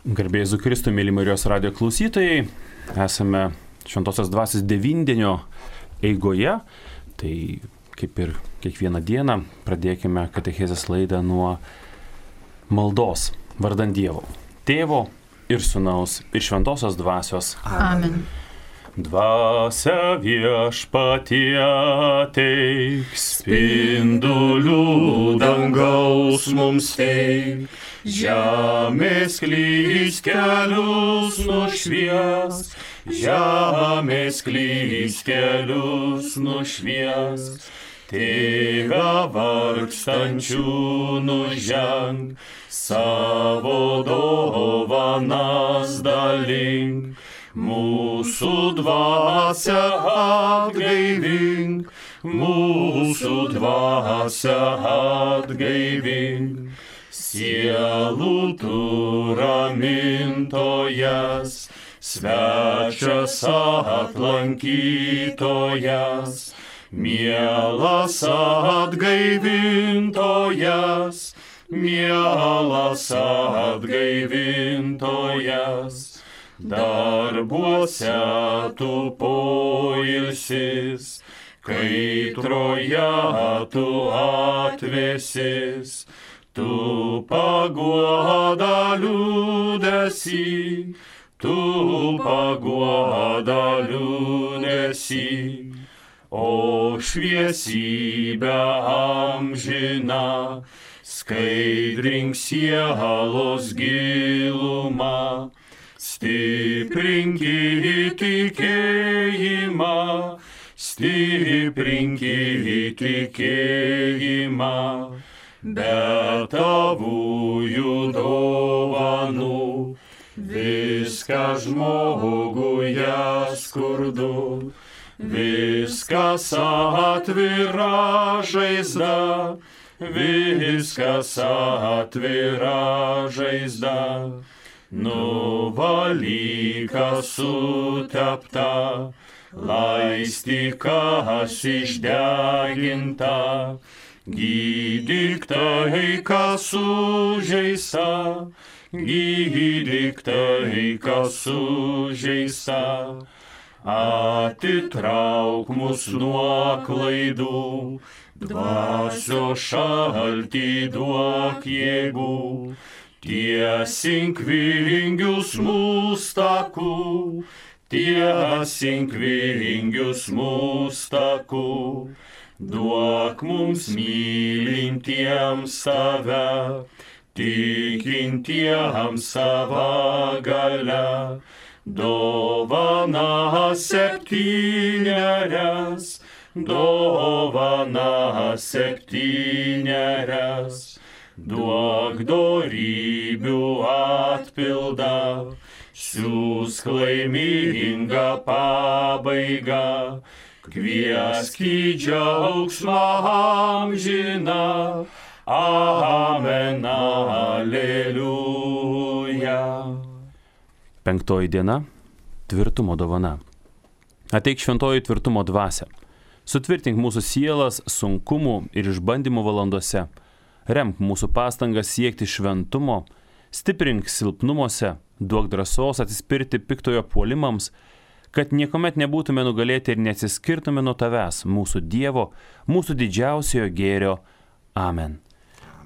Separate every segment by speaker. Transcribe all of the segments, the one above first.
Speaker 1: Garbė Jėzui Kristui, mėly Marijos radijo klausytojai, esame Šventosios Dvasios devindienio eigoje, tai kaip ir kiekvieną dieną pradėkime katechezės laidą nuo maldos vardan Dievo, Tėvo ir Sūnaus ir Šventosios Dvasios.
Speaker 2: Amen.
Speaker 1: Dvasia viešpatie ateik, spindulių dangaus mums teik, žemės klys kelius nušvies, žemės klys kelius nušvies, Tėve vargstančių nuženk, savo dovanas dalink. Mūsų dvasia atgaivink, mūsų dvasia atgaivink, sielų tu ramintojas, svečias atlankytojas, mielas atgaivintojas, mielas atgaivintojas. Darbuose tu poilsis, kaitroje tu atvėsis, tu paguoda liūdesį, tu paguoda liūdesį, o šviesybę amžiną, skaidrink sielos gilumą. Stiprinkit tikėjimą, stiprinkit tikėjimą, be tavųjų dovanų, viską žmoguje skurdu, viskas atvira žaizda, viskas atvira žaizda. Nuvalyka sutepta, laistykas išdeginta, gydyk tai, kas sužeista, gydyk tai, kas sužeista. Atitrauk mus nuo klaidų, dvasios šaltį duok jėgų. Tiesink vingius mūsų takų, tiesink vingius mūsų takų, duok mums mylintiems tave, tikintiems sava galia, dovana septynerias, dovana septynerias. Duok dorybių atpildą, siųsk laimingą pabaigą, kviesk į džiaugsmą amžiną, amen, aleliuja. Penktoji diena – tvirtumo dovana. Ateik šventoji tvirtumo dvasia, sutvirtink mūsų sielas sunkumų ir išbandymų valandose. Remk mūsų pastangas siekti šventumo, stiprink silpnumuose, duok drąsos atsispirti piktojo puolimams, kad niekuomet nebūtume nugalėti ir neatsiskirtume nuo tavęs, mūsų Dievo, mūsų didžiausiojo gėrio. Amen.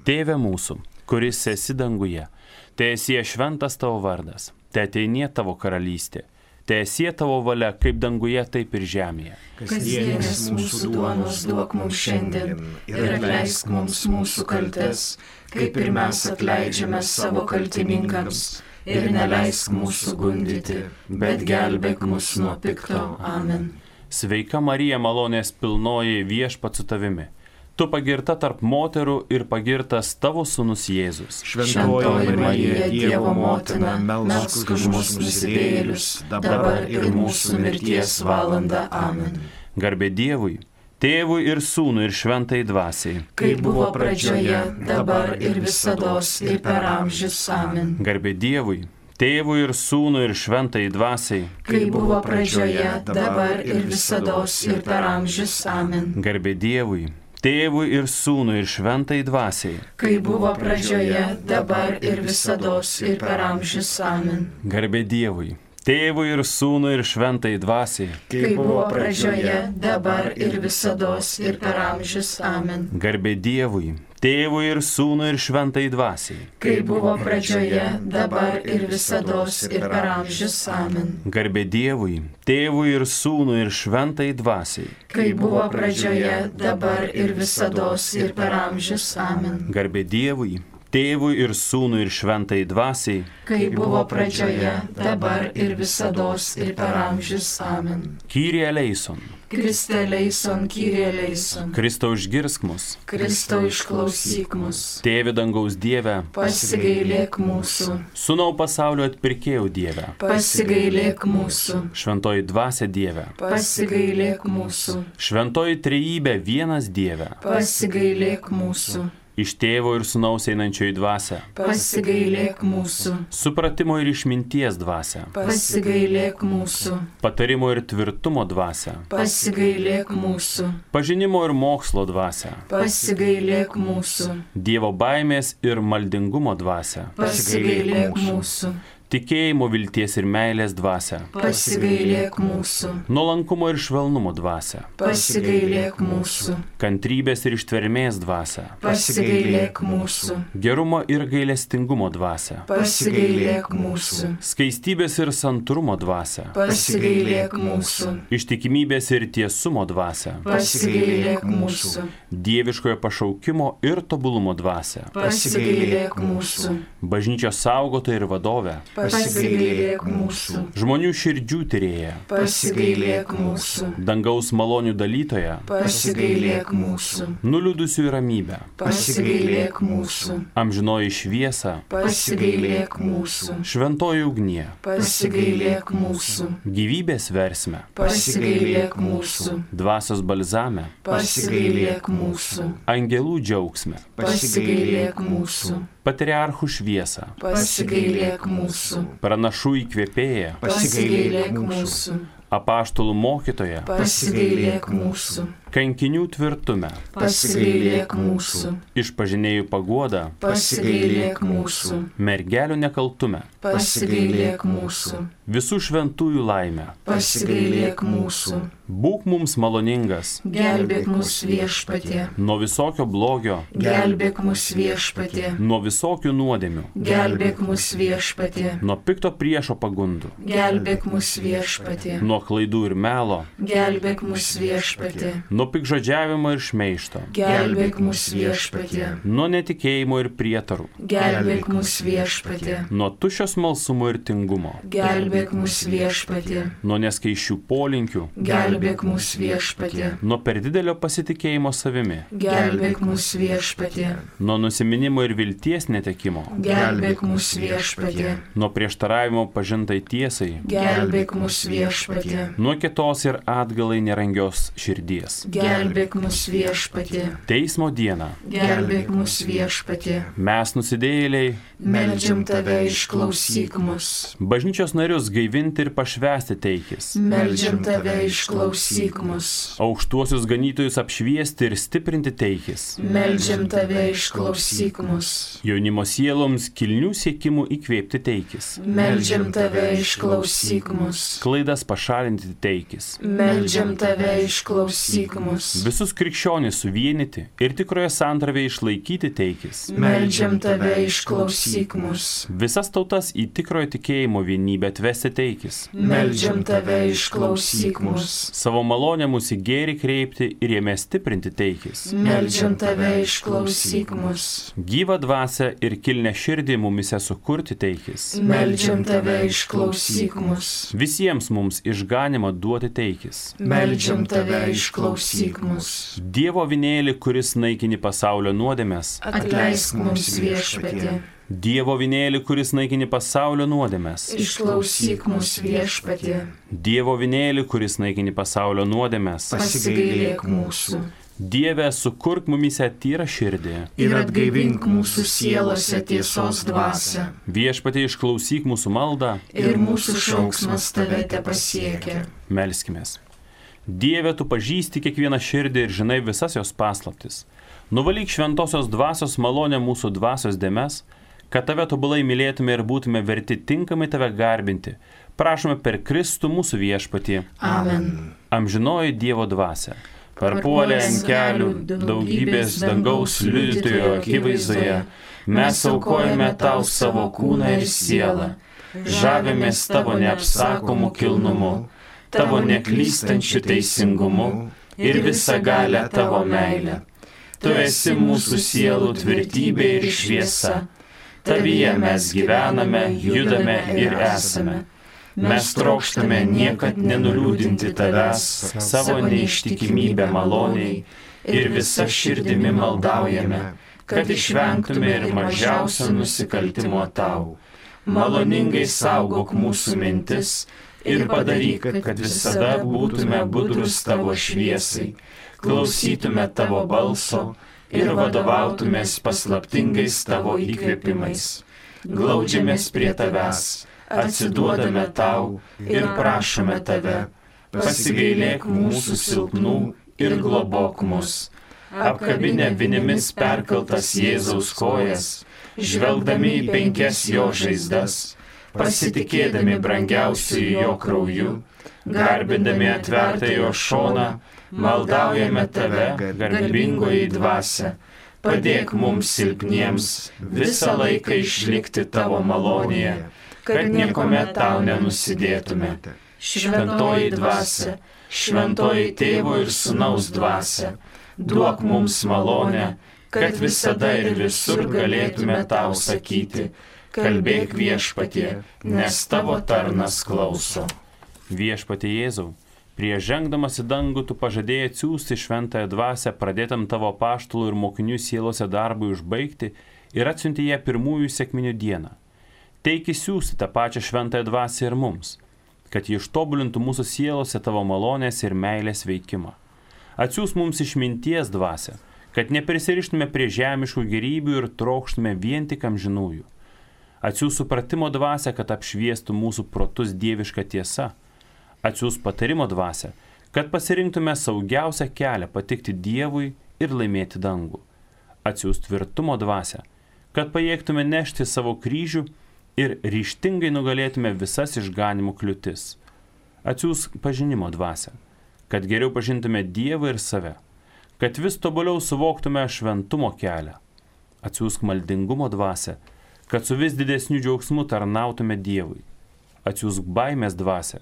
Speaker 1: Tėve mūsų, kuris esi danguje, teesie šventas tavo vardas, teateinie tavo karalystė. Teesie tavo valia, kaip danguje, taip ir žemėje.
Speaker 2: Kasdienės mūsų duonos duok mums šiandien ir atleisk mums mūsų kaltes, kaip ir mes atleidžiame savo kaltininkams, ir neleisk mūsų gundyti, bet gelbėk mus nuo pikto. Amen.
Speaker 1: Sveika Marija, malonės pilnoji, viešpats su tavimi. Tu pagirta tarp moterų ir pagirtas tavo sūnus Jėzus.
Speaker 2: Šventoji Marija, Dievo motina, melsk už mus nusidėjėlius, dabar ir mūsų mirties valanda. Amen.
Speaker 1: Garbė Dievui, Tėvui ir Sūnui ir Šventai Dvasiai.
Speaker 2: Kaip buvo pradžioje, dabar ir visados ir per amžius. Amen.
Speaker 1: Garbė Dievui, Tėvui ir Sūnui ir Šventai Dvasiai.
Speaker 2: Kaip buvo pradžioje, dabar ir visados ir per amžius. Amen.
Speaker 1: Garbė Dievui, Tėvui ir Sūnui ir Šventai Dvasiai.
Speaker 2: Kai buvo pradžioje, dabar ir visados ir per amžius. Amen.
Speaker 1: Garbė Dievui. Tėvui ir Sūnui ir Šventai Dvasiai.
Speaker 2: Kai buvo pradžioje, dabar ir visados ir per amžius. Amen.
Speaker 1: Garbė Dievui. Tėvui ir Sūnui ir Šventai Dvasiai.
Speaker 2: Kai buvo pradžioje, dabar ir visados ir per amžius. Amen.
Speaker 1: Garbė Dievui. Tėvui ir Sūnui ir Šventai Dvasiai.
Speaker 2: Kai buvo pradžioje, dabar ir visados ir per amžius. Amen.
Speaker 1: Garbė Dievui. Tėvui ir Sūnui ir Šventai Dvasiai.
Speaker 2: Kai buvo pradžioje, dabar ir visados ir per amžius. Amen.
Speaker 1: Kyrie eleison.
Speaker 2: Kriste eleison, Kyrie eleison.
Speaker 1: Kristau išgirsk mus.
Speaker 2: Kristau išklausyk mus.
Speaker 1: Tėve dangaus Dieve.
Speaker 2: Pasigailėk mūsų.
Speaker 1: Sūnau pasaulio atpirkėjau Dieve.
Speaker 2: Pasigailėk mūsų.
Speaker 1: Šventoji Dvasia Dieve.
Speaker 2: Pasigailėk mūsų.
Speaker 1: Šventoji Trejybė vienas Dieve.
Speaker 2: Pasigailėk mūsų.
Speaker 1: Iš Tėvo ir Sūnaus einančioji Dvasia.
Speaker 2: Pasigailėk mūsų.
Speaker 1: Supratimo ir išminties Dvasia.
Speaker 2: Pasigailėk mūsų.
Speaker 1: Patarimo ir tvirtumo Dvasia.
Speaker 2: Pasigailėk mūsų.
Speaker 1: Pažinimo ir mokslo Dvasia.
Speaker 2: Pasigailėk mūsų.
Speaker 1: Dievo baimės ir maldingumo Dvasia.
Speaker 2: Pasigailėk mūsų.
Speaker 1: Tikėjimo, vilties ir meilės Dvasia.
Speaker 2: Pasigailėk mūsų.
Speaker 1: Nuolankumo ir švelnumo Dvasia.
Speaker 2: Pasigailėk mūsų.
Speaker 1: Kantrybės ir ištvermės Dvasia.
Speaker 2: Pasigailėk mūsų.
Speaker 1: Gerumo ir gailestingumo Dvasia.
Speaker 2: Pasigailėk mūsų.
Speaker 1: Skaistybės ir santrumo Dvasia.
Speaker 2: Pasigailėk mūsų.
Speaker 1: Ištikimybės ir tiesumo Dvasia.
Speaker 2: Pasigailėk mūsų.
Speaker 1: Dieviškojo pašaukimo ir tobulumo Dvasia.
Speaker 2: Pasigailėk mūsų.
Speaker 1: Bažnyčios saugotoja ir vadovė.
Speaker 2: Pasigailėk mūsų.
Speaker 1: Žmonių širdžių tyrėja.
Speaker 2: Pasigailėk mūsų.
Speaker 1: Dangaus malonių dalytoja.
Speaker 2: Pasigailėk mūsų.
Speaker 1: Nuliūdusių ramybę.
Speaker 2: Pasigailėk mūsų.
Speaker 1: Amžinoji šviesa.
Speaker 2: Pasigailėk mūsų.
Speaker 1: Šventoji ugnie.
Speaker 2: Pasigailėk mūsų.
Speaker 1: Gyvybės versme.
Speaker 2: Pasigailėk mūsų.
Speaker 1: Dvasios balzame.
Speaker 2: Pasigailėk mūsų.
Speaker 1: Angelų džiaugsme.
Speaker 2: Pasigailėk mūsų.
Speaker 1: Patriarchų šviesą.
Speaker 2: Pasigailėk mūsų.
Speaker 1: Pranašų įkvėpėja.
Speaker 2: Pasigailėk mūsų.
Speaker 1: Apaštalų mokytoja.
Speaker 2: Pasigailėk mūsų.
Speaker 1: Kankinių tvirtume.
Speaker 2: Pasigailėk mūsų.
Speaker 1: Išpažinėjų paguoda.
Speaker 2: Pasigailėk mūsų.
Speaker 1: Mergelių nekaltume.
Speaker 2: Pasigailėk mūsų.
Speaker 1: Visų šventųjų laimę.
Speaker 2: Pasigailėk mūsų.
Speaker 1: Būk mums maloningas.
Speaker 2: Gelbėk mus Viešpatie.
Speaker 1: Nuo visokio blogio.
Speaker 2: Gelbėk mus Viešpatie.
Speaker 1: Nuo visokių nuodėmių.
Speaker 2: Gelbėk mus Viešpatie.
Speaker 1: Nuo pikto priešo pagundų.
Speaker 2: Gelbėk mus Viešpatie.
Speaker 1: Nuo klaidų ir melo.
Speaker 2: Gelbėk mus Viešpatie.
Speaker 1: Nuo pikžodžiavimo ir šmeižto.
Speaker 2: Gelbėk mus Viešpatie.
Speaker 1: Nuo netikėjimo ir prietarų.
Speaker 2: Gelbėk mus Viešpatie.
Speaker 1: Nuo tuščio smalsumo ir tingumo.
Speaker 2: Gelbėk mus Viešpatie.
Speaker 1: Nuo neskaičių polinkių.
Speaker 2: Gelbėk mus Viešpatie.
Speaker 1: Nuo per didelio pasitikėjimo savimi.
Speaker 2: Gelbėk mus Viešpatie.
Speaker 1: Nuo nusiminimo ir vilties netekimo.
Speaker 2: Gelbėk mus Viešpatie.
Speaker 1: Nuo prieštaravimo pažintai tiesai.
Speaker 2: Gelbėk mus Viešpatie.
Speaker 1: Nuo kietos ir atgalai nerangios širdies.
Speaker 2: Gelbėk mus Viešpatie.
Speaker 1: Teismo dieną.
Speaker 2: Gelbėk mus Viešpatie.
Speaker 1: Mes nusidėjėliai.
Speaker 2: Meldžiam tave, išklausyk mus.
Speaker 1: Bažnyčios narius gaivinti ir pašvęsti teikis.
Speaker 2: Meldžiam tave, išklausyk mus.
Speaker 1: Aukštuosius ganytojus apšviesti ir stiprinti teikis.
Speaker 2: Meldžiam tave, išklausyk mus.
Speaker 1: Jaunimo sieloms kilnių siekimų įkvėpti teikis.
Speaker 2: Meldžiam tave, išklausyk mus.
Speaker 1: Klaidas pašalinti teikis.
Speaker 2: Meldžiam tave, išklausyk mus.
Speaker 1: Visus krikščionis suvienyti ir tikroje santravėje išlaikyti teikis.
Speaker 2: Meldžiam tave, išklausyk mus.
Speaker 1: Visas tautas į tikrojo tikėjimo vienybę atvesti teikis.
Speaker 2: Meldžiam tave, išklausyk mus.
Speaker 1: Savo malonę mūsų į gėrį kreipti ir jame stiprinti teikis.
Speaker 2: Meldžiam tave, išklausyk mus.
Speaker 1: Gyvą dvasią ir kilnę širdį mumise sukurti teikis.
Speaker 2: Meldžiam tave, išklausyk mus.
Speaker 1: Visiems mums išganimą duoti teikis.
Speaker 2: Meldžiam tave, išklausyk mus.
Speaker 1: Dievo avinėlį, kuris naikini pasaulio nuodėmes.
Speaker 2: Atleisk mums Viešpatie.
Speaker 1: Dievo avinėlį, kuris naikini pasaulio nuodėmes.
Speaker 2: Išklausyk mus Viešpatie.
Speaker 1: Dievo avinėlį, kuris naikini pasaulio nuodėmes.
Speaker 2: Pasigailėk mūsų.
Speaker 1: Dieve, sukurk mumise tyrą širdį.
Speaker 2: Ir atgaivink mūsų sielose tiesos dvasią.
Speaker 1: Viešpatie, išklausyk mūsų maldą.
Speaker 2: Ir mūsų šauksmas tave tepasiekia.
Speaker 1: Melskimės. Dieve, tu pažįsti kiekvieną širdį ir žinai visas jos paslaptis. Nuvalyk šventosios dvasios malonę mūsų dvasios dėmes, kad tave tobulai mylėtume ir būtume verti tinkamai tave garbinti. Prašome per Kristų mūsų viešpatį.
Speaker 2: Amen.
Speaker 1: Amžinoji Dievo dvasia. Parpuolė ant kelių daugybės dangaus liudytojo akivaizdoje, mes aukojame tau savo kūną ir sielą, žavimės tavo neapsakomų kilnumu, tavo neklystančių teisingumu ir visagalę tavo meilę. Tu esi mūsų sielų tvirtybė ir šviesa. Tavyje mes gyvename, judame ir esame. Mes trokštame niekad nenuliūdinti tavęs savo neištikimybę maloniai ir visa širdimi maldaujame, kad išvengtume ir mažiausio nusikaltimo tau. Maloningai saugok mūsų mintis ir padaryk, kad visada būtume budrus tavo šviesai, klausytume tavo balso ir vadovautumės paslaptingais tavo įkvėpimais. Glaudžiamės prie tavęs, atsiduodame tau ir prašome tave, pasigailėk mūsų silpnų ir globok mus. Apkabinę vinimis perkaltas Jėzaus kojas, žvelgdami į 5 jo žaizdas, pasitikėdami brangiausiu jo krauju, garbindami atvertą jo šoną, maldaujame tave, garbingoji dvasia, padėk mums silpniems visą laiką išlikti tavo malonėje, kad niekuomet tau nenusidėtume. Šventoji dvasia, šventoji tėvo ir sūnaus dvasia, duok mums malonę, kad visada ir visur galėtume tau sakyti, kalbėk viešpatie, nes tavo tarnas klauso. Viešpatie Jėzau, prieš žengdamas į dangų tu pažadėjai atsiųsti šventąją dvasią pradėtam tavo apaštalų ir mokinių sielose darbui užbaigti ir atsiunti ją pirmųjų sekminių dieną. Teiki siųsti tą pačią šventąją dvasią ir mums, kad ji ištobulintų mūsų sielose tavo malonės ir meilės veikimą. Atsiųs mums išminties dvasią, kad neprisirištume prie žemiškų gėrybių ir trokštume vien tik amžinųjų. Atsiųs supratimo dvasią, kad apšviestų mūsų protus dieviška tiesa. Atsiųs patarimo dvasią, kad pasirinktume saugiausią kelią patikti Dievui ir laimėti dangų. Atsiųs tvirtumo dvasią, kad pajėgtume nešti savo kryžių ir ryžtingai nugalėtume visas išganimo kliūtis. Atsiųs pažinimo dvasią, kad geriau pažintume Dievą ir save, kad vis tobuliau suvoktume šventumo kelią. Atsiųsk maldingumo dvasią, kad su vis didesniu džiaugsmu tarnautume Dievui. Atsiųsk baimės dvasią,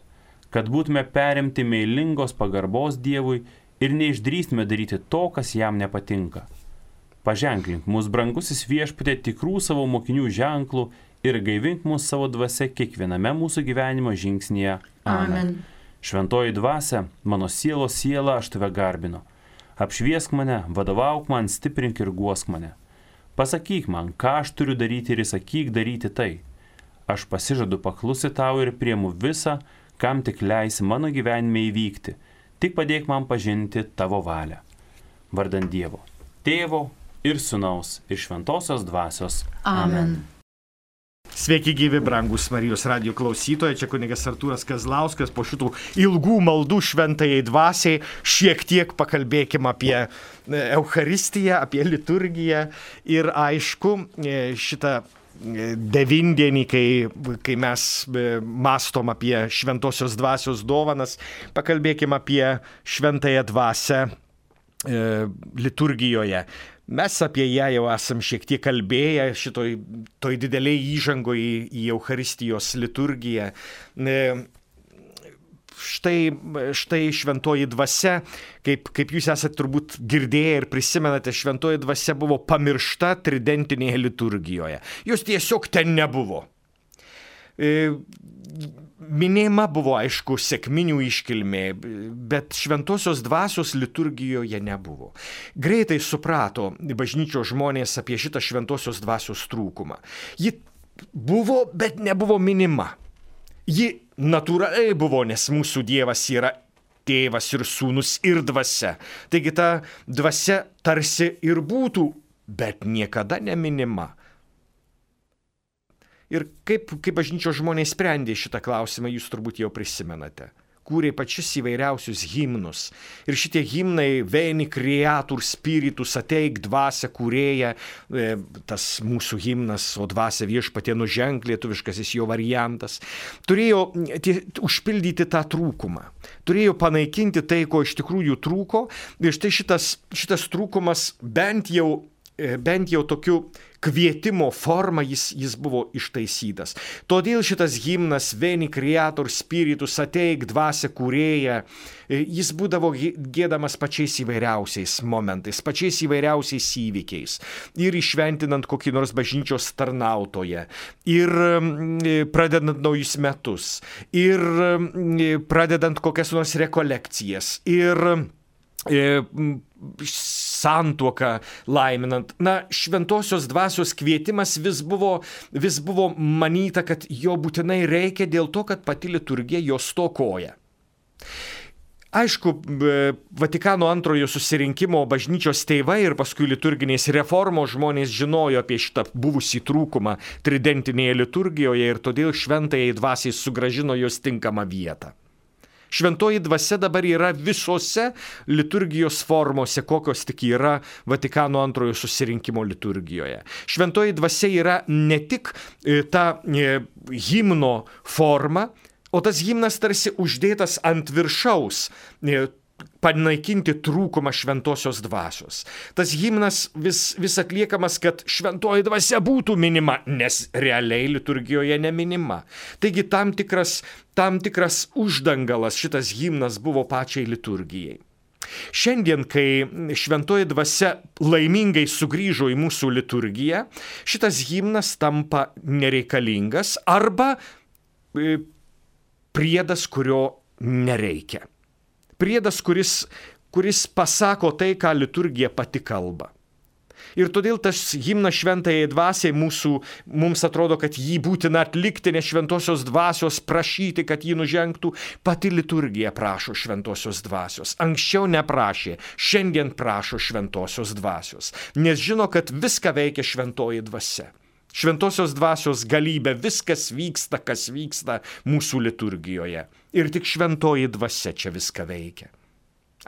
Speaker 1: kad būtume perimti meilingos pagarbos Dievui ir neišdrįstume daryti to, kas jam nepatinka. Paženklink mūsų brangusis viešpatie tikrų savo mokinių ženklų ir gaivink mūsų savo dvasia kiekviename mūsų gyvenimo žingsnyje.
Speaker 2: Amen.
Speaker 1: Šventoji dvasia, mano sielos siela, aš tave garbinu. Apšviesk mane, vadovauk man, stiprink ir guosk mane. Pasakyk man, ką aš turiu daryti ir įsakyk daryti tai. Aš pasižadu paklusti tau ir priimu visą, kam tik leisi mano gyvenime įvykti, tik padėk man pažinti tavo valią. Vardan Dievo, Tėvo ir Sūnaus ir Šventosios dvasios.
Speaker 2: Amen.
Speaker 3: Sveiki gyvi, brangus Marijos radijo klausytojai, čia kunigas Artūras Kazlauskas. Po šitų ilgų maldų šventajai dvasiai šiek tiek pakalbėkim apie Eucharistiją, apie liturgiją ir aišku šitą devindienį, kai mes mastom apie šventosios dvasios dovanas, pakalbėkim apie šventąją dvasią liturgijoje. Mes apie ją jau esam šiek tiek kalbėję toj dideliai įžangoje į Eucharistijos liturgiją. Štai šventoji dvasia, kaip jūs esate turbūt girdėję ir prisimenate, šventoji dvasia buvo pamiršta tridentinėje liturgijoje. Jos tiesiog ten nebuvo. Minėjama buvo, aišku, sekminių iškilmė, bet šventosios dvasios liturgijoje nebuvo. Greitai suprato bažnyčios žmonės apie šitą šventosios dvasios trūkumą. Ji buvo, bet nebuvo minima. Ji natūraliai buvo, nes mūsų Dievas yra tėvas ir sūnus ir dvasia. Taigi ta dvasia tarsi ir būtų, bet niekada neminima. Ir kaip bažnyčios žmonės sprendė šitą klausimą, jūs turbūt jau prisimenate. kūrė pačius įvairiausius himnus. Ir šitie himnai Veni Creator Spiritus, ateik dvasia kūrėja, tas mūsų himnas, o dvasia viešpatie nuženk, lietuviškasis jo variantas, turėjo užpildyti tą trūkumą. Turėjo panaikinti tai, ko iš tikrųjų trūko. Ir štai šitas trūkumas bent jau tokiu kvietimo forma jis buvo ištaisytas. Todėl šitas himnas Veni Creator Spiritus, ateik dvasia kūrėja, jis būdavo giedamas pačiais įvairiausiais momentais, pačiais įvairiausiais įvykiais. Ir išventinant kokį nors bažnyčios tarnautoją, ir pradedant naujus metus, ir pradedant kokias nors rekolekcijas, ir santuoką laiminant. Šventosios dvasios kvietimas vis buvo manyta, kad jo būtinai reikia dėl to, kad pati liturgija jo stokoja. Aišku, Vatikano antrojo susirinkimo bažnyčios tėvai ir paskui liturginės reformos žmonės žinojo apie šitą buvusį trūkumą tridentinėje liturgijoje ir todėl šventajai dvasiai sugrąžino jos tinkamą vietą. Šventoji dvasia dabar yra visose liturgijos formose, kokios tik yra Vatikano antrojo susirinkimo liturgijoje. Šventoji dvasia yra ne tik ta himno forma, o tas himnas tarsi uždėtas ant viršaus, panaikinti trūkumą šventosios dvasios. Tas himnas vis atliekamas, kad šventoji dvasia būtų minima, nes realiai liturgijoje neminima. Taigi tam tikras uždangalas šitas himnas buvo pačiai liturgijai. Šiandien, kai šventoji dvasia laimingai sugrįžo į mūsų liturgiją, šitas himnas tampa nereikalingas arba priedas, kurio nereikia. Priedas, kuris pasako tai, ką liturgija pati kalba. Ir todėl tas himnas šventajai dvasiai mums atrodo, kad jį būtina atlikti, nes šventosios dvasios prašyti, kad jį nužengtų, pati liturgija prašo šventosios dvasios. Anksčiau neprašė, šiandien prašo šventosios dvasios, nes žino, kad viską veikia šventoji dvasia. Šventosios dvasios galybė, viskas vyksta, kas vyksta mūsų liturgijoje. Ir tik šventoji dvasia čia viską veikia.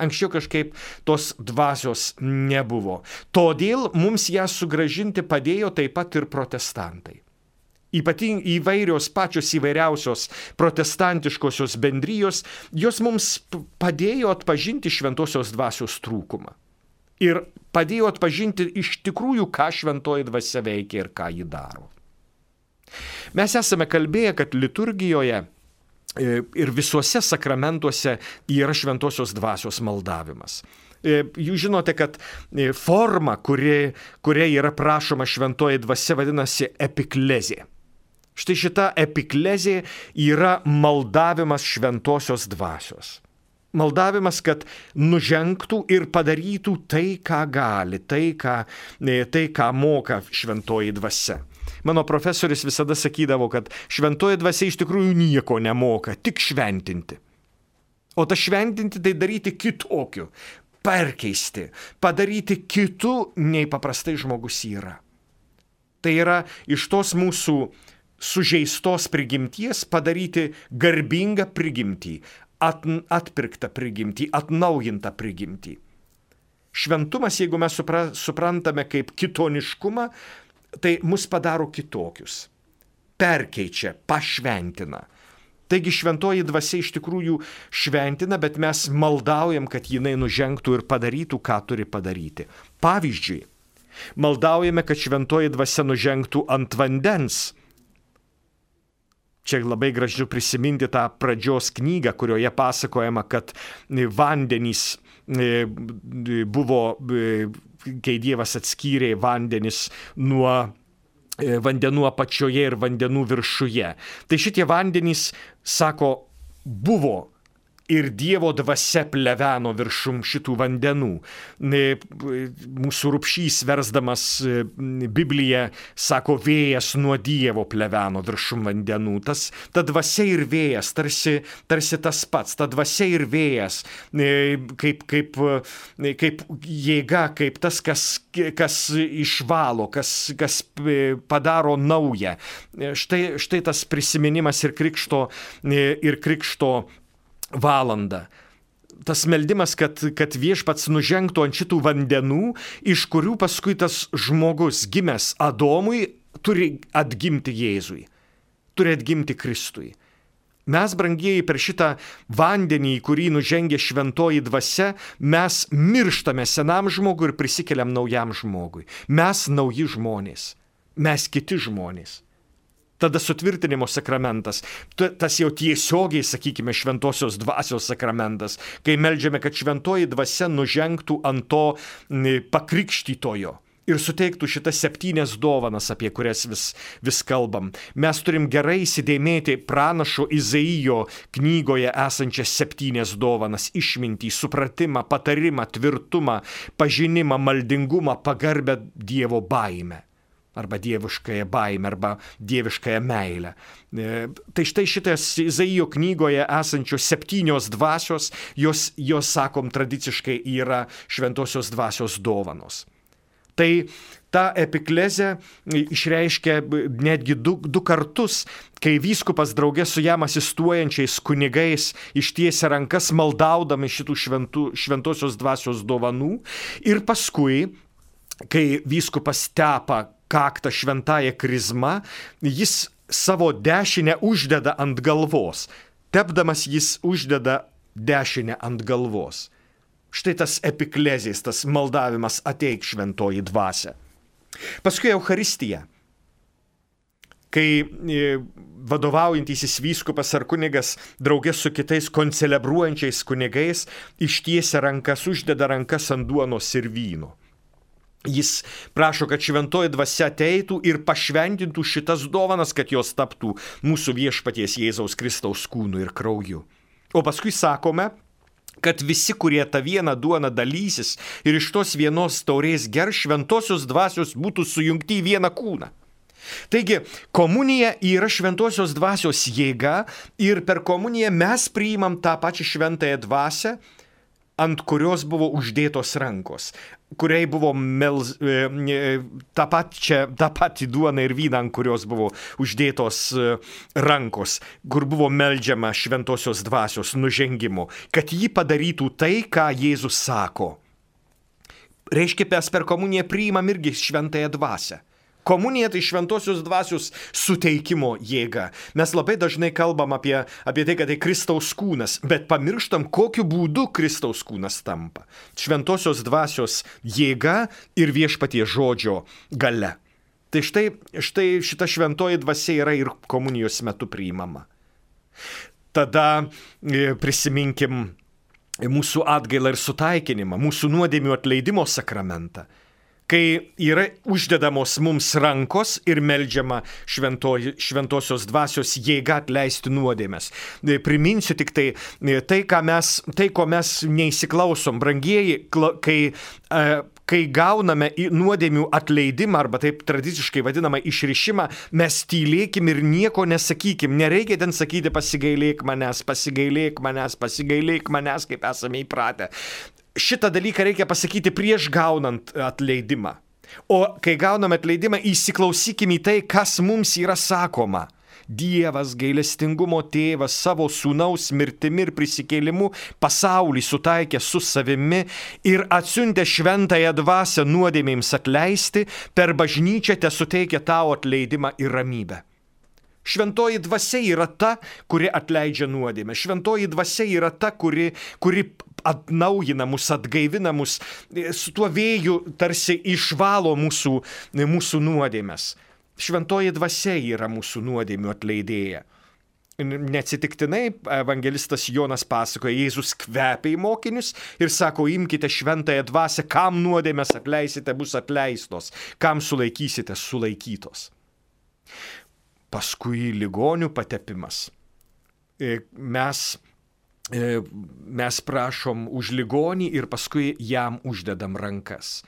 Speaker 3: Anksčiau kažkaip tos dvasios nebuvo. Todėl mums ją sugrąžinti padėjo taip pat ir protestantai. Ypatingai įvairios pačios įvairiausios protestantiškosios bendrijos, jos mums padėjo atpažinti šventosios dvasios trūkumą. Ir padėjo atpažinti iš tikrųjų, ką šventoji dvasia veikia ir ką ji daro. Mes esame kalbėję, kad liturgijoje ir visuose sakramentuose yra šventosios dvasios maldavimas. Jūs žinote, kad forma, kuria yra prašoma šventoji dvasia, vadinasi epiklezė. Štai šita epiklezė yra maldavimas šventosios dvasios. Maldavimas, kad nužengtų ir padarytų tai, ką gali, tai, ką moka šventoji dvasia. Mano profesorius visada sakydavo, kad šventoji dvasia iš tikrųjų nieko nemoka, tik šventinti. O ta šventinti tai daryti kitokiu, perkeisti, padaryti kitu, nei paprastai žmogus yra. Tai yra iš tos mūsų sužeistos prigimties padaryti garbingą prigimtį, atpirktą prigimtį, atnaujintą prigimtį. Šventumas, jeigu mes suprantame kaip kitoniškumą, tai mus padaro kitokius, perkeičia, pašventina. Taigi šventoji dvasia iš tikrųjų šventina, bet mes maldaujam, kad jinai nužengtų ir padarytų, ką turi padaryti. Pavyzdžiui, maldaujame, kad šventoji dvasia nužengtų ant vandens. Čia labai gražu prisiminti tą pradžios knygą, kurioje pasakojama, kad vandenys buvo, kai Dievas atskyrė vandenis nuo vandenų apačioje ir vandenų viršuje. Tai šitie vandenys, sako, buvo ir Dievo dvasia pleveno viršum šitų vandenų. Mūsų Rupšys versdamas Bibliją sako, vėjas nuo Dievo pleveno viršum vandenų. Ta dvasia ir vėjas, tarsi tas pats. Ta dvasia ir vėjas, kaip jėga, kaip tas, kas išvalo, kas padaro naują. Štai tas prisiminimas ir krikšto valandą. Tas meldimas, kad viešpats nužengtų ant šitų vandenų, iš kurių paskui tas žmogus gimęs Adomui turi atgimti Jėzui, turi atgimti Kristui. Mes, brangieji, per šitą vandenį, į kurį nužengia šventoji dvasia, mes mirštame senam žmogui ir prisikeliam naujam žmogui. Mes nauji žmonės, mes kiti žmonės. Tada sutvirtinimo sakramentas, tas jau tiesiogiai, sakykime, šventosios dvasios sakramentas, kai meldžiame, kad šventoji dvasia nužengtų ant to pakrikštytojo ir suteiktų šitas 7 dovanas, apie kurias vis kalbam. Mes turim gerai įsidėmėti pranašo Izaijo knygoje esančias 7 dovanas: išmintį, supratimą, patarimą, tvirtumą, pažinimą, maldingumą, pagarbę Dievo baimę. Arba dieviškąją baimę, arba dieviškąją meilę. Tai štai šitas Izaijo knygoje esančios 7 dvasios, jos, sakom, tradiciškai yra šventosios dvasios dovanos. Tai ta epiklezė išreiškia netgi du kartus, kai vyskupas drauge su jam asistuojančiais kunigais ištiesia rankas maldaudami šitų šventosios dvasios dovanų, ir paskui, kai vyskupas tepa kaktą šventąją krizmą, jis savo dešinę uždeda ant galvos. Tepdamas jis uždeda dešinę ant galvos. Štai tas epiklezės, tas maldavimas: ateik šventoji dvasia. Paskui Eucharistija, kai vadovaujantysis vyskupas ar kunigas draugės su kitais koncelebruojančiais kunigais ištiesia rankas, uždeda rankas ant duonos ir vyno. Jis prašo, kad šventoji dvasia ateitų ir pašventintų šitas dovanas, kad jos taptų mūsų viešpaties Jėzaus Kristaus kūnu ir krauju. O paskui sakome, kad visi, kurie tą vieną duoną dalysis ir iš tos vienos taurės gers, šventosios dvasios būtų sujungti į vieną kūną. Taigi, komunija yra šventosios dvasios jėga ir per komuniją mes priimam tą pačią šventąją dvasią, ant kurios buvo uždėtos rankos, kuriai buvo tą patį duoną ir vyną, ant kurios buvo uždėtos rankos, kur buvo meldžiama šventosios dvasios nužengimu, kad ji padarytų tai, ką Jėzus sako. Reiškia, mes per komuniją priimam irgi šventąją dvasią. Komunija tai šventosios dvasios suteikimo jėga. Mes labai dažnai kalbam apie tai, kad tai Kristaus kūnas, bet pamirštam, kokiu būdu Kristaus kūnas tampa. Šventosios dvasios jėga ir viešpaties žodžio galia. Tai štai šita šventoji dvasia yra ir komunijos metu priimama. Tada prisiminkim mūsų atgailą ir sutaikinimą, mūsų nuodėmių atleidimo sakramentą, kai yra uždedamos mums rankos ir meldžiama šventosios dvasios jėga atleisti nuodėmes. Priminsiu tik tai, ko mes neįsiklausom, brangieji, kai gauname nuodėmių atleidimą, arba taip tradiciškai vadinamą išrišimą, mes tylėkim ir nieko nesakykim. Nereikia ten sakyti pasigailėk manęs, kaip esame įpratę. Šitą dalyką reikia pasakyti prieš gaunant atleidimą. O kai gauname atleidimą, įsiklausykime į tai, kas mums yra sakoma. Dievas, gailestingumo tėvas, savo sūnaus mirtimi ir prisikėlimu pasaulį sutaikė su savimi ir atsiuntė šventąją dvasią nuodėmėms atleisti, per bažnyčią tesuteikia tau atleidimą ir ramybę. Šventoji dvasia yra ta, kuri atleidžia nuodėmę. Šventoji dvasia yra ta, kuri atnaujina mus, atgaivina mus, su tuo vėju tarsi išvalo mūsų nuodėmes. Šventoji dvasia yra mūsų nuodėmių atleidėja. Neatsitiktinai evangelistas Jonas pasakoja, Jėzus kvepia į mokinius ir sako, imkite šventąją dvasią, kam nuodėmes atleisite, bus atleistos, kam sulaikysite, sulaikytos. Paskui ligonių patepimas. Mes prašom už ligonį ir paskui jam uždedam rankas.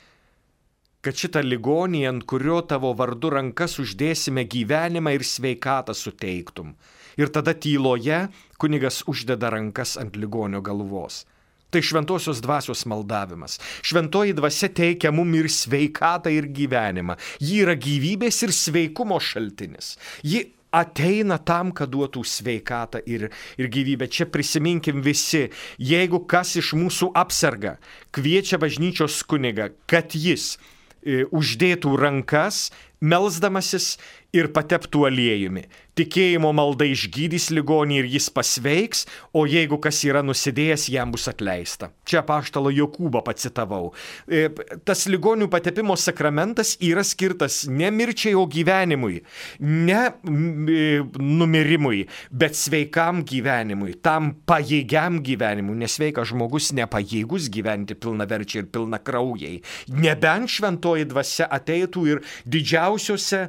Speaker 3: Kad šitą ligonį, ant kurio tavo vardu rankas uždėsime, gyvenimą ir sveikatą suteiktum. Ir tada tyloje kunigas uždeda rankas ant ligonio galvos. Tai šventosios dvasios maldavimas. Šventoji dvasia teikia mum ir sveikatą, ir gyvenimą. Ji yra gyvybės ir sveikumo šaltinis. Ji ateina tam, kad duotų sveikatą ir gyvybę. Čia prisiminkim visi, jeigu kas iš mūsų apserga, kviečia bažnyčios kunigą, kad jis uždėtų rankas, melsdamasis ir pateptų aliejumi. Tikėjimo malda išgydys ligonį ir jis pasveiks, o jeigu kas yra nusidėjęs, jam bus atleista. Čia apaštalo Jokūbą pacitavau. Tas ligonių patepimo sakramentas yra skirtas ne mirčiai, o gyvenimui, ne numirimui, bet sveikam gyvenimui, tam pajėgiam gyvenimui, nes sveikas žmogus nepajėgus gyventi pilnaverčiai ir pilnakraujai. Nebent šventoji dvasia ateitų ir didžiausiose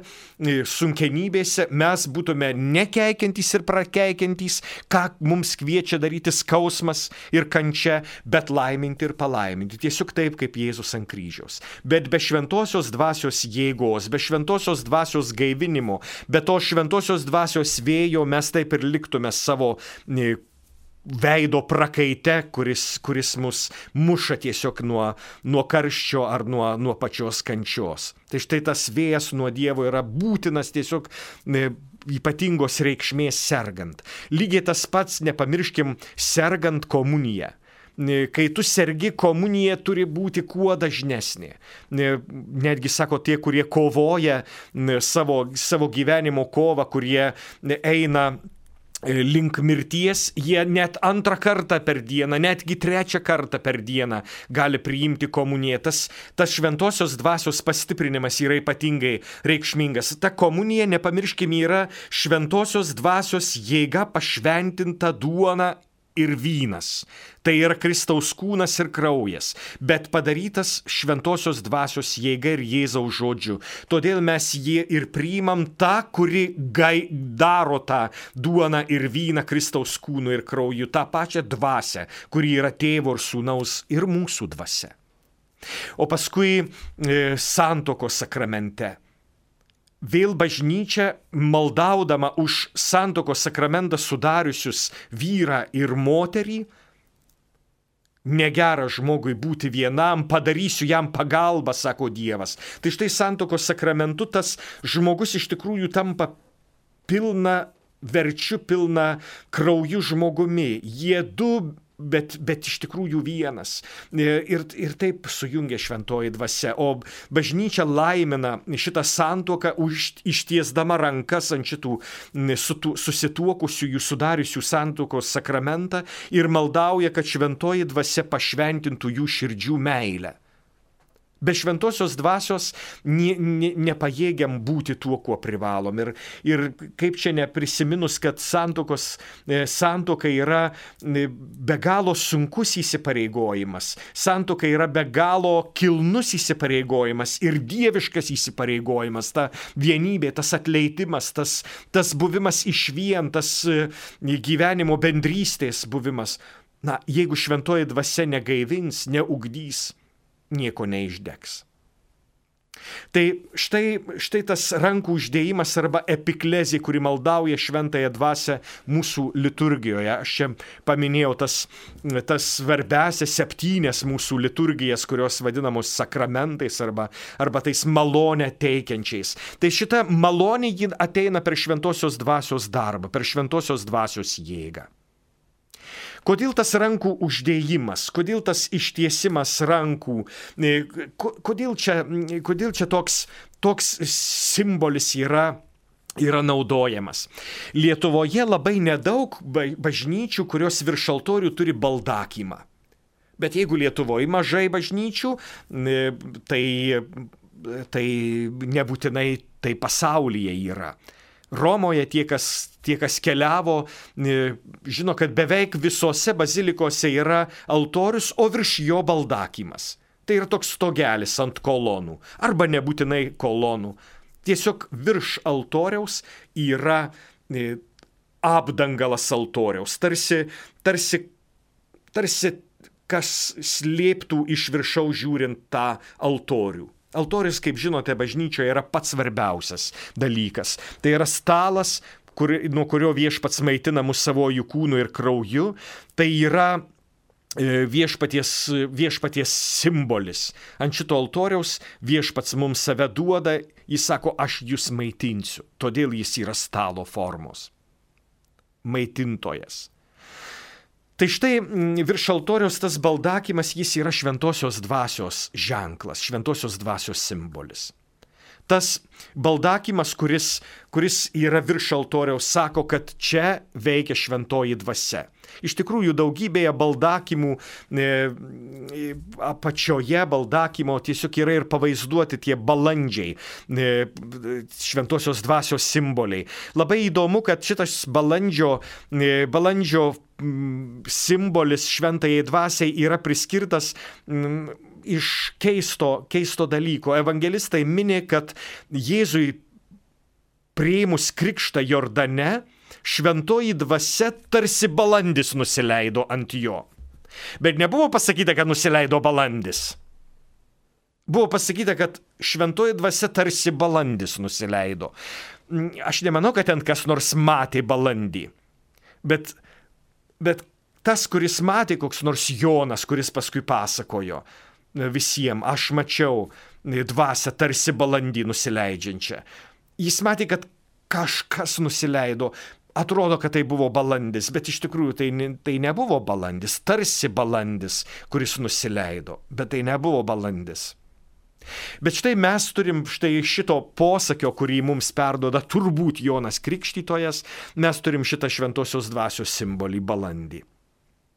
Speaker 3: sunkenybėse mes būtume nekeikiantys ir prakeikiantys, ką mums kviečia daryti skausmas ir kančia, bet laiminti ir palaiminti. Tiesiog taip, kaip Jėzus ant kryžiaus. Bet be šventosios dvasios jėgos, be šventosios dvasios gaivinimo, be to šventosios dvasios vėjo mes taip ir liktume savo veido prakaite, kuris mus muša tiesiog nuo karščio ar nuo pačios kančios. Tai štai tas vėjas nuo Dievo yra būtinas tiesiog ypatingos reikšmės sergant. Lygiai tas pats, nepamirškim, sergant komuniją. Kai tu sergi, komunija turi būti kuo dažnesnė. Netgi sako tie, kurie kovoja savo gyvenimo kovą, kurie eina link mirties, jie net antrą kartą per dieną, netgi trečią kartą per dieną gali priimti komuniją. Tas šventosios dvasios pastiprinimas yra ypatingai reikšmingas. Ta komunija, nepamirškime, yra šventosios dvasios jėga pašventinta duona ir vynas. Tai yra Kristaus kūnas ir kraujas, bet padarytas šventosios dvasios jėga ir Jėzaus žodžiu. Todėl mes jį ir priimam tą, kuri daro tą duoną ir vyną Kristaus kūnu ir krauju, tą pačią dvasią, kuri yra Tėvo ir Sūnaus ir mūsų dvasia. O paskui santuokos sakramente. Vėl bažnyčia, maldaudama už santuokos sakramentą sudariusius vyrą ir moterį, negera žmogui būti vienam, padarysiu jam pagalbą, sako Dievas. Tai štai santuokos sakramentu tas žmogus iš tikrųjų tampa pilna verčiu, pilna krauju žmogumi. Jie du, bet iš tikrųjų vienas. Ir taip sujungia šventoji dvasia. O bažnyčia laimina šitą santuoką ištiesdama rankas ant šitų susituokusių, jų sudariusių santuokos sakramentą ir maldauja, kad šventoji dvasia pašventintų jų širdžių meilę. Be šventosios dvasios nepajėgiam būti tuo, kuo privalom. Ir kaip čia neprisiminus, kad santuoka yra be galo sunkus įsipareigojimas. Santuoka yra be galo kilnus įsipareigojimas ir dieviškas įsipareigojimas. Ta vienybė, tas atleidimas, tas buvimas išvien, tas gyvenimo bendrystės buvimas. Na, jeigu šventoji dvasia negaivins, neugdys, nieko neišdegs. Tai štai tas rankų uždėjimas arba epiklezija, kuri maldauja šventąją dvasią mūsų liturgijoje. Aš čia paminėjau tas svarbiausias 7 mūsų liturgijas, kurios vadinamos sakramentais arba tais malonę teikiančiais. Tai šita malonė ji ateina per šventosios dvasios darbą, per šventosios dvasios jėgą. Kodėl tas rankų uždėjimas, kodėl tas ištiesimas rankų, kodėl čia toks simbolis yra naudojamas. Lietuvoje labai nedaug bažnyčių, kurios virš altorių turi baldakimą. Bet jeigu Lietuvoje mažai bažnyčių, tai nebūtinai tai pasaulyje yra. Romoje tie, kas keliavo, žino, kad beveik visose bazilikose yra altorius, o virš jo baldakimas. Tai yra toks stogelis ant kolonų, arba nebūtinai kolonų. Tiesiog virš altoriaus yra apdangalas altoriaus, tarsi kas slėptų iš viršaus žiūrint tą altorių. Altorius, kaip žinote, bažnyčioje yra pats svarbiausias dalykas. Tai yra stalas, nuo kurio viešpats maitina mus savojų kūnu ir krauju. Tai yra viešpaties simbolis. Ant šito altoriaus viešpats mums save duoda, jis sako, aš jūs maitinsiu, todėl jis yra stalo formos. Maitintojas. Tai štai virš altoriaus tas baldakimas, jis yra šventosios dvasios ženklas, šventosios dvasios simbolis. Tas baldakimas, kuris yra virš altoriaus, sako, kad čia veikia šventoji dvasia. Iš tikrųjų, daugybėje baldakimų, apačioje baldakimo tiesiog yra ir pavaizduoti tie balandžiai, šventosios dvasios simboliai. Labai įdomu, kad šitas balandžio simbolis šventajai dvasiai yra priskirtas iš keisto dalyko. Evangelistai mini, kad Jėzui priėmus krikštą Jordane, šventoji dvasia tarsi balandis nusileido ant jo. Bet nebuvo pasakyta, kad nusileido balandis. Buvo pasakyta, kad šventoji dvasia tarsi balandis nusileido. Aš nemanau, kad ten kas nors matė balandį. Bet tas, kuris matė, koks nors Jonas, kuris paskui pasakojo visiems, aš mačiau dvasią tarsi balandį nusileidžiančią. Jis matė, kad kažkas nusileido. Atrodo, kad tai buvo balandis, bet iš tikrųjų tai nebuvo balandis, tarsi balandis, kuris nusileido, bet tai nebuvo balandis. Bet štai mes turim šito posakio, kurį mums perduoda turbūt Jonas Krikštytojas, mes turim šitą šventosios dvasios simbolį balandį.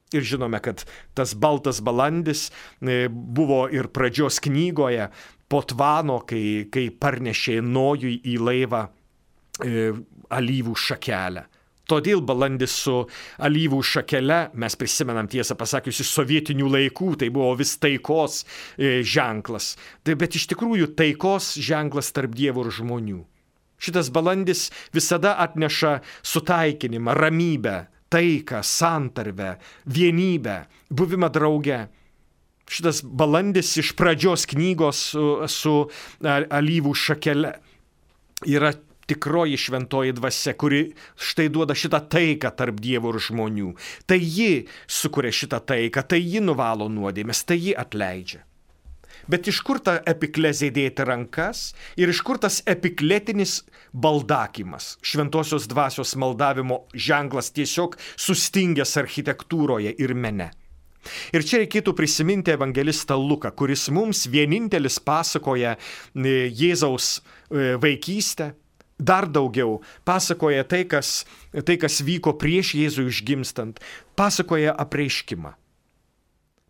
Speaker 3: Ir žinome, kad tas baltas balandis buvo ir pradžios knygoje po Tvano, kai parnešė Nojui į laivą alyvų šakelę. Todėl balandis su alyvų šakele, mes prisimenam tiesą pasakius iš sovietinių laikų, tai buvo vis taikos ženklas. Bet iš tikrųjų taikos ženklas tarp Dievo ir žmonių. Šitas balandis visada atneša sutaikinimą, ramybę, taiką, santarvę, vienybę, buvimą drauge. Šitas balandis iš pradžios knygos su alyvų šakele yra tikroji šventoji dvasia, kuri štai duoda šitą taiką tarp Dievo ir žmonių. Tai ji sukuria šitą taiką, tai ji nuvalo nuodėmes, tai ji atleidžia. Bet iš kur ta epiklezė dėti rankas ir iš kur tas epikletinis baldakimas, šventosios dvasios maldavimo ženklas tiesiog sustingęs architektūroje ir mene. Ir čia reikėtų prisiminti evangelistą Luką, kuris mums vienintelis pasakoja Jėzaus vaikystę, dar daugiau pasakoja tai, kas vyko prieš Jėzų išgimstant, pasakoja apreiškimą.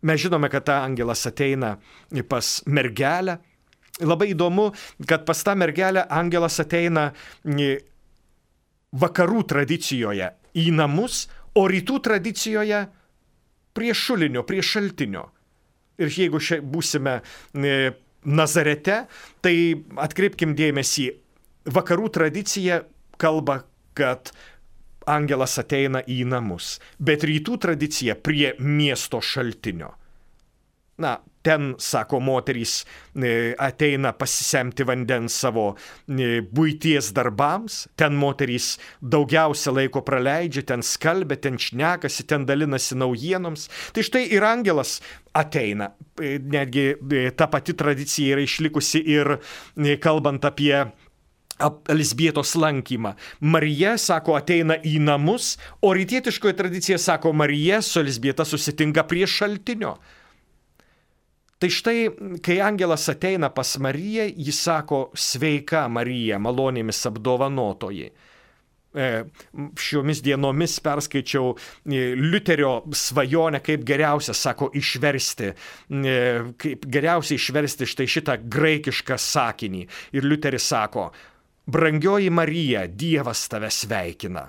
Speaker 3: Mes žinome, kad ta angelas ateina pas mergelę. Labai įdomu, kad pas tą mergelę angelas ateina vakarų tradicijoje į namus, o rytų tradicijoje prie šulinio, prie šaltinio. Ir jeigu būsime Nazarete, tai atkreipkim dėmesį, vakarų tradicija kalba, kad angelas ateina į namus, bet rytų tradicija prie miesto šaltinio. Na, ten, sako moterys, ateina pasisemti vandens savo buities darbams, ten moterys daugiausia laiko praleidžia, ten skalbia, ten šnekasi, ten dalinasi naujienoms. Tai štai ir angelas ateina. Netgi ta pati tradicija yra išlikusi ir kalbant apie Elzbietos lankymą. Marija, sako, ateina į namus, o rytietiškoje tradicija, sako, Marija su Elzbieta susitinka prie šaltinio. Tai štai, kai angelas ateina pas Mariją, jis sako, sveika Marija, malonėmis apdovanotoji. Šiomis dienomis perskaičiau Liuterio svajonę, kaip geriausia, sako, kaip geriausia išversti štai šitą graikišką sakinį. Ir Liuteris sako, brangioji Marija, Dievas tave sveikina.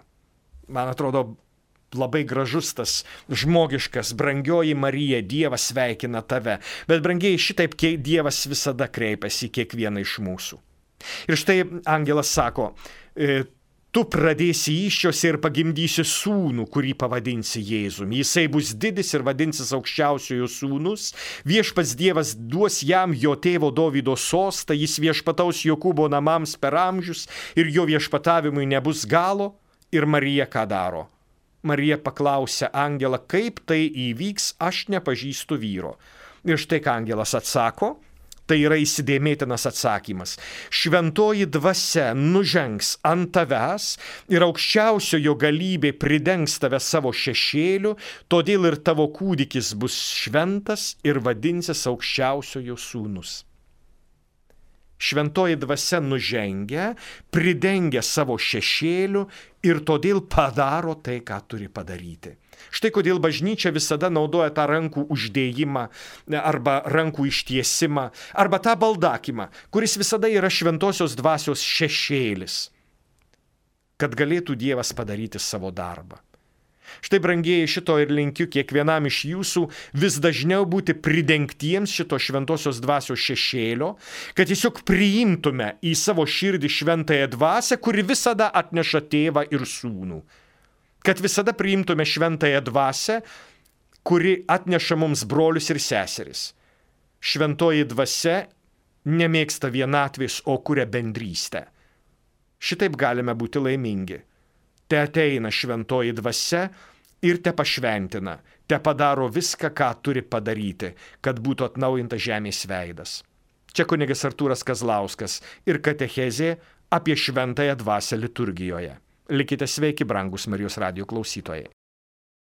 Speaker 3: Man atrodo, labai gražus tas žmogiškas, brangioji Marija, Dievas sveikina tave. Bet brangiai, šitaip Dievas visada kreipiasi į kiekvieną iš mūsų. Ir štai angelas sako, tu pradėsi įsčiose ir pagimdysi sūnų, kurį pavadinsi Jėzumi. Jisai bus didis ir vadinsis aukščiausiojo sūnus. Viešpats Dievas duos jam jo tėvo Dovydo sostą, jis viešpataus Jokūbo namams per amžius ir jo viešpatavimui nebus galo. Ir Marija ką daro? Marija paklausė angelą, kaip tai įvyks, aš nepažįstu vyro. Ir štai ką angelas atsako, tai yra įsidėmėtinas atsakymas. Šventoji dvasia nužengs ant tavęs ir aukščiausiojo galybė pridengs tave savo šešėliu, todėl ir tavo kūdikis bus šventas ir vadinsis aukščiausiojo sūnus. Šventoji dvasia nužengia, pridengia savo šešėliu ir todėl padaro tai, ką turi padaryti. Štai kodėl bažnyčia visada naudoja tą rankų uždėjimą arba rankų ištiesimą arba tą baldakimą, kuris visada yra šventosios dvasios šešėlis, kad galėtų Dievas padaryti savo darbą. Štai, brangieji, šito ir linkiu kiekvienam iš jūsų vis dažniau būti pridengtiems šito šventosios dvasios šešėlio, kad tiesiog priimtume į savo širdį šventąją dvasią, kuri visada atneša tėvą ir sūnų. Kad visada priimtume šventąją dvasią, kuri atneša mums brolius ir seseris. Šventoji dvasia nemėgsta vienatvės, o kuria bendrystę. Šitaip galime būti laimingi. Te ateina šventoji dvasia ir te pašventina, te padaro viską, ką turi padaryti, kad būtų atnaujintas žemės veidas. Čia kunigas Artūras Kazlauskas ir katechezė apie šventąją dvasią liturgijoje. Likite sveiki, brangus Marijos radijo klausytojai.